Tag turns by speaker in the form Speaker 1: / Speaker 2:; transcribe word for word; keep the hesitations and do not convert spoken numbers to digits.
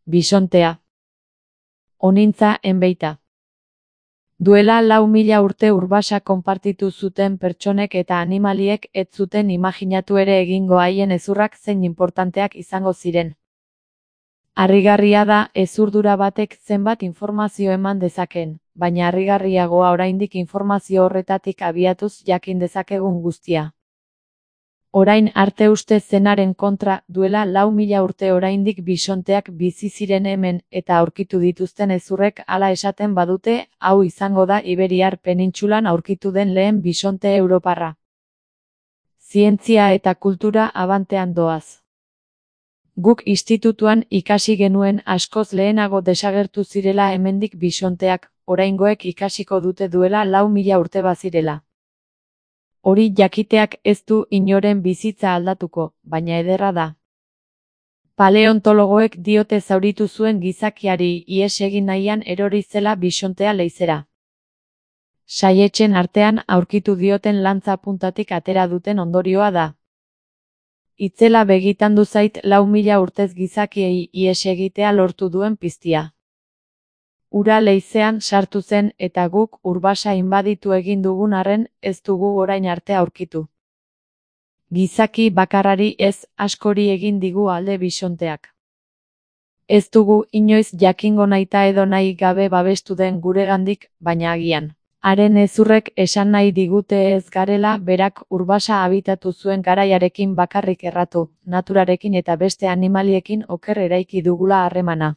Speaker 1: Bisontea. Onintza enbeita. Duela lau mila urte urbasa konpartitu zuten pertsonek eta animaliek ez zuten imaginatu ere egingo haien hezurrak zein inportanteak izango ziren. Harrigarria da hezurdura batek zenbat informazio eman dezaken, baina harrigarriagoa oraindik informazio horretatik abiatuz jakin dezakegun guztia. Orain arte uste zenaren kontra, duela lau mila urte oraindik bisonteak bizi ziren hemen eta aurkitu dituzten hezurrek hala esaten badute, hau izango da Iberiar penintsulan aurkitu den lehen bisonte europarra. Zientzia eta kultura abantean doaz. Guk institutuan ikasi genuen askoz lehenago desagertu zirela hemendik bisonteak, oraingoek ikasiko dute duela lau mila urte bazirela. Hori jakiteak ez du inoren bizitza aldatuko, baina ederra da. Paleontologoek diote zauritu zuen gizakiari ihes egin nahian erori zela bisontea leizera. Saietzen artean aurkitu dioten lantza puntatik atera duten ondorioa da. Itzela begitandu zait lau mila urtez gizakiei ihes egitea lortu duen piztia. Ura leizean sartu zen eta guk urbasa inbaditu egin dugun arren ez dugu orain arte aurkitu. Gizaki bakarrari ez, askori egin digu alde bisonteak. Ez dugu inoiz jakingo nahita edo nahi gabe babestu den guregandik, baina agian. Haren hezurrek esan nahi digute ez garela berak urbasa habitatu zuen garaiarekin bakarrik erratu, naturarekin eta beste animaliekin oker eraiki dugula harremana.